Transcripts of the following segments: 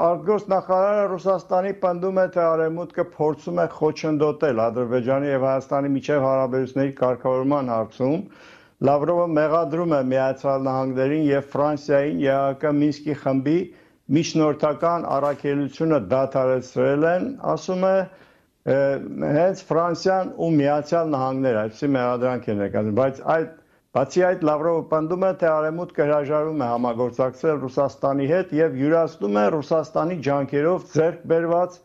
արտգործնախարարը Ռուսաստանի պնդում է, թե Արևմուտքը փորձում է խոչընդոտել Ադրբեջանի եւ Հայաստանի միջև հարաբերությունների կարգավորման հարցում։ Լավրովը մեղադրում է Միացյալ Նահանգներին եւ Ֆրանսիային ԵԱՀԿ Մինսկի խմբի միջնորդական առաքելությունը դադարեցրել են, ասում է, հենց Ֆրանսիան ու Միացյալ Նահանգները, այսպիսի մեղադրանք են ներկայացնում, բայց բացի այդ Լավրովը պնդում է, թե Արևմուտքը հրաժարվում է համագործակցել Ռուսաստանի հետ եւ յուրացնում է Ռուսաստանի ջանքերով ձեռք բերված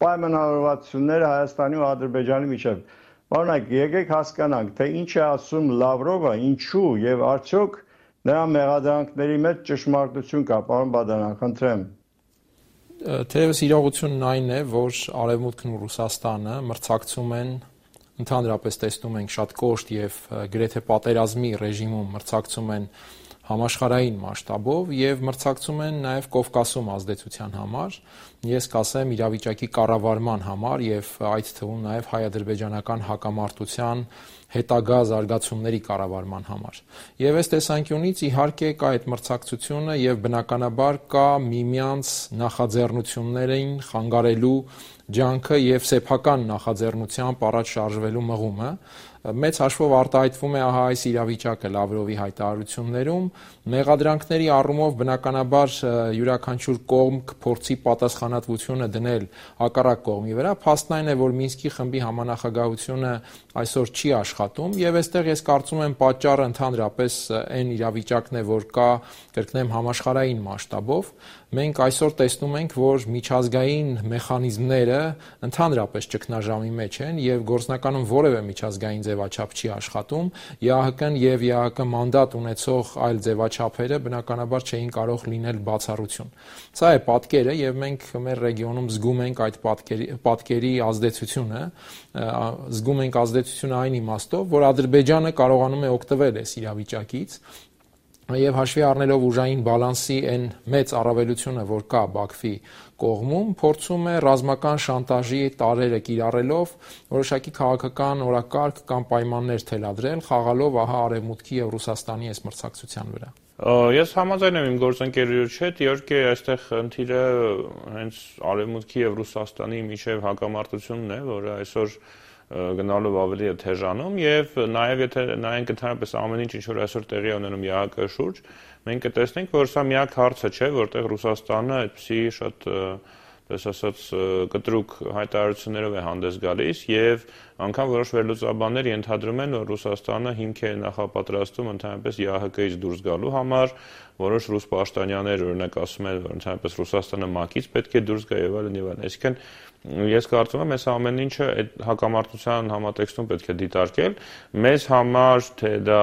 պայմանավորվածությունները Հայաստանի ու Ադրբեջանի միջև։ Պարոն, եկեք հասկանանք, թե ինչ է ասում Լավրովը, ինչու եւ արդյոք նրա մեղադրանքների մեջ ճշմարտություն կա, պարոն Բադարյան, խնդրեմ։ Թեևս իրողությունն այն է, որ Արևմուտքն ու Ռուսաստանը մրցակցում են, ընդհանրապես տեսնում ենք շատ կոշտ եւ գրեթե պատերազմի ռեժիմում մրցակցում են համաշխարհային մասշտաբով եւ մրցակցում են նաեւ Կովկասում ազդեցության համար, ես կասեմ իրավիճակի կառավարման համար եւ այդ թվում նաեւ հայ-ադրբեջանական հակամարտության հետագա զարգացումների կառավարման համար։ Եվ այս տեսանկյունից իհարկե կա այդ մրցակցությունը եւ բնականաբար կա միմյանց նախաձեռնություններին խանգարելու ջանքը եւ սեփական նախաձեռնությամբ առաջ շարժվելու մղումը, մեծ հաշվով արտահայտվում է ահա այս իրավիճակը Լավրովի հայտարարություններում, մեղադրանքների առումով բնականաբար յուրաքանչյուր կողմ կփորձի պատասխանատվությունը դնել հակառակ կողմի վրա, փաստն այն է, որ Մինսկի խմբի համանախագահությունը այսօր չի աշխատում եւ այստեղ ես կարծում եմ պատճառը ընդհանրապես այն իրավիճակն է, որ կա, կրկնեմ, համաշխարհային մասշտաբով, մենք այսօր տեսնում ենք, որ միջազգային մեխանիզմները ընդհանրապես ճգնաժամի մեջ են եւ գործնականում որևէ միջազգային ձևաչափ չի աշխատում, ԵԱՀԿ-ն եւ ԵԱՀԿ մանդատ ունեցող այլ ձևաչափերը բնականաբար չէին կարող լինել բացառություն։ Սա է պատկերը եւ մենք մեր ռեգիոնում զգում ենք այդ պատկերի ազդեցությունը, զգում ենք ազդեցությունը այն իմաստով, որ Ադրբեջանը կարողանում է օգտվել այս իրավիճակից եւ հաշվի առնելով ուժային բալանսի այն մեծ առավելությունը, որ կա Բաքվի կողմում, փորձում է ռազմական շանտաժի տարրերը կիրառելով որոշակի քաղաքական օրակարգ կամ պայմաններ թելադրել, խաղալով ահա Արևմուտքի եւ Ռուսաստանի այս մրցակցության վրա։ Ես համաձայն եմ իմ գործընկերոջ հետ, իհարկե այստեղ խնդիրը հենց Արևմուտքի եւ Ռուսաստանի միջև հակամարտությունն է, որը այսօր գնալով ավելի է թեժանում եւ նաեւ եթե նայենք ընդհանրապես ամեն ինչ որ այսօր տեղի ունենում ԵԱՀԿ շուրջ, մենք կտեսնենք, որ սա միակ հարցը չէ, որտեղ Ռուսաստանը այդպիսի շատ ասած կտրուկ հայտարարություններով է հանդես գալիս եւ անգամ որոշ վերլուծաբաններ ենթադրում են, որ Ռուսաստանը հիմք է նախապատրաստում ընդհանրապես ԵԱՀԿ-ից դուրս գալու համար, որոշ ռուս պաշտոնյաներ օրինակ ասում են, որ ընդհանրապես Ռուսաստանը ՄԱԿ-ից պետք է դուրս գա եւ այլն եւ այլն։ Այսինքն ես կարծում եմ, այս ամեն ինչը այդ հակամարտության համատեքստում պետք է դիտարկել։ Մեզ համար թե դա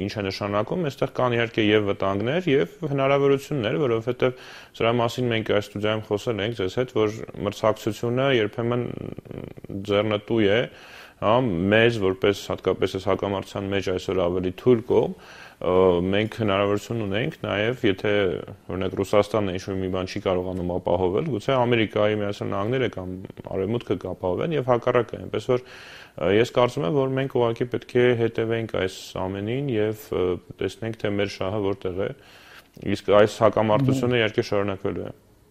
ինչ է նշանակում, այստեղ կան իհարկե եւ վտանգներ եւ հնարավորություններ, որովհետեւ սրա մասին մենք այս ստուդիայում խոսել ենք ձեզ հետ, որ մրցակցությունը երբեմն ձեռնտու է, հա, մեզ որպես հատկապես այս հակամարտության մեջ այսօր ավելի թույլ կողմ, մենք հնարավորություն ունենք նաև, եթե օրինակ Ռուսաստանը ինչ-որ մի բան չի կարողանում ապահովել, գուցե Ամերիկայի Միացյալ Նահանգները կամ Արևմուտքը կապահովեն եւ հակառակը, այնպես որ ես կարծում եմ, որ մենք ուղղակի պետք է հետևենք այս ամենին եւ տեսնենք, թե մեր շահը որտեղ է, իսկ այս հակամարտությունը իհարկե շարունակվելու է։